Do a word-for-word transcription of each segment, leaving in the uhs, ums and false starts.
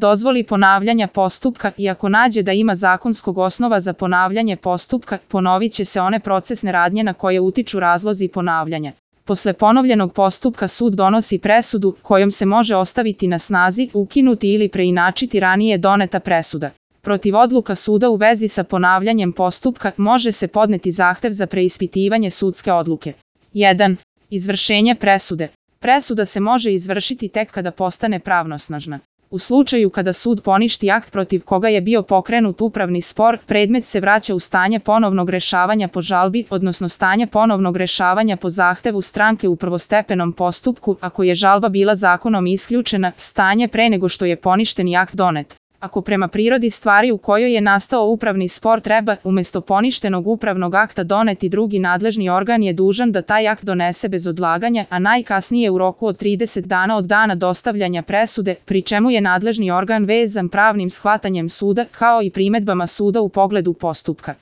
dozvoli ponavljanja postupka i ako nađe da ima zakonskog osnova za ponavljanje postupka, ponovit će se one procesne radnje na koje utiču razlozi ponavljanja. Posle ponovljenog postupka sud donosi presudu kojom se može ostaviti na snazi, ukinuti ili preinačiti ranije doneta presuda. Protiv odluka suda u vezi sa ponavljanjem postupka može se podneti zahtev za preispitivanje sudske odluke. jedan. Izvršenje presude. Presuda se može izvršiti tek kada postane pravnosnažna. U slučaju kada sud poništi akt protiv koga je bio pokrenut upravni spor, predmet se vraća u stanje ponovnog rešavanja po žalbi, odnosno stanje ponovnog rešavanja po zahtevu stranke u prvostepenom postupku, ako je žalba bila zakonom isključena, stanje pre nego što je poništeni akt donet. Ako prema prirodi stvari u kojoj je nastao upravni spor treba, umesto poništenog upravnog akta doneti drugi nadležni organ je dužan da taj akt donese bez odlaganja, a najkasnije u roku od trideset dana od dana dostavljanja presude, pri čemu je nadležni organ vezan pravnim shvatanjem suda kao i primedbama suda u pogledu postupka.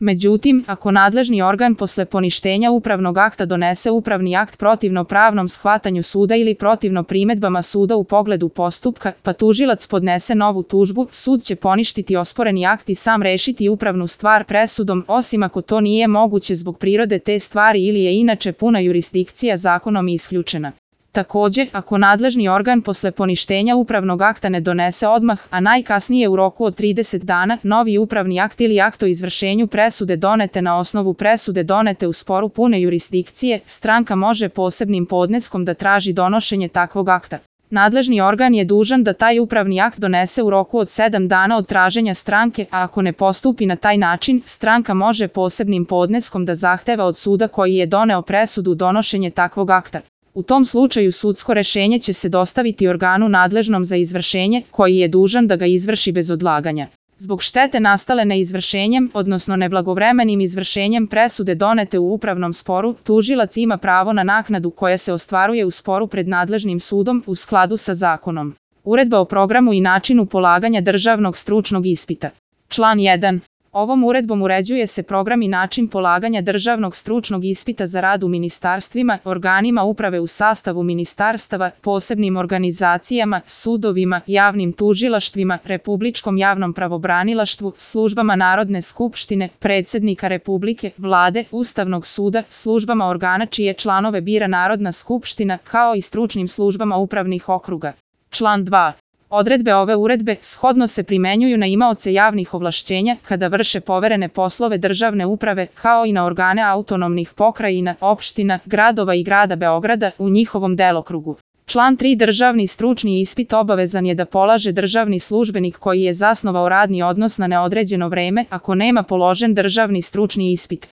Međutim, ako nadležni organ posle poništenja upravnog akta donese upravni akt protivno pravnom shvatanju suda ili protivno primedbama suda u pogledu postupka, pa tužilac podnese novu tužbu, sud će poništiti osporeni akt i sam rešiti upravnu stvar presudom, osim ako to nije moguće zbog prirode te stvari ili je inače puna jurisdikcija zakonom isključena. Takođe, ako nadležni organ posle poništenja upravnog akta ne donese odmah, a najkasnije u roku od trideset dana, novi upravni akt ili akt o izvršenju presude donete na osnovu presude donete u sporu pune jurisdikcije, stranka može posebnim podneskom da traži donošenje takvog akta. Nadležni organ je dužan da taj upravni akt donese u roku od sedam dana od traženja stranke, a ako ne postupi na taj način, stranka može posebnim podneskom da zahteva od suda koji je doneo presudu donošenje takvog akta. U tom slučaju sudsko rešenje će se dostaviti organu nadležnom za izvršenje, koji je dužan da ga izvrši bez odlaganja. Zbog štete nastale neizvršenjem, odnosno neblagovremenim izvršenjem presude donete u upravnom sporu, tužilac ima pravo na naknadu koja se ostvaruje u sporu pred nadležnim sudom u skladu sa zakonom. Uredba o programu i načinu polaganja državnog stručnog ispita. Član jedan. Ovom uredbom uređuje se program i način polaganja državnog stručnog ispita za rad u ministarstvima, organima uprave u sastavu ministarstava, posebnim organizacijama, sudovima, javnim tužilaštvima, republičkom javnom pravobranilaštvu, službama Narodne skupštine, predsednika Republike, Vlade, Ustavnog suda, službama organa čije članove bira Narodna skupština, kao i stručnim službama upravnih okruga. Član dva. Odredbe ove uredbe shodno se primenjuju na imaoce javnih ovlašćenja kada vrše poverene poslove državne uprave, kao i na organe autonomnih pokrajina, opština, gradova i grada Beograda u njihovom delokrugu. Član tri. Državni stručni ispit obavezan je da polaže državni službenik koji je zasnovao radni odnos na neodređeno vreme ako nema položen državni stručni ispit.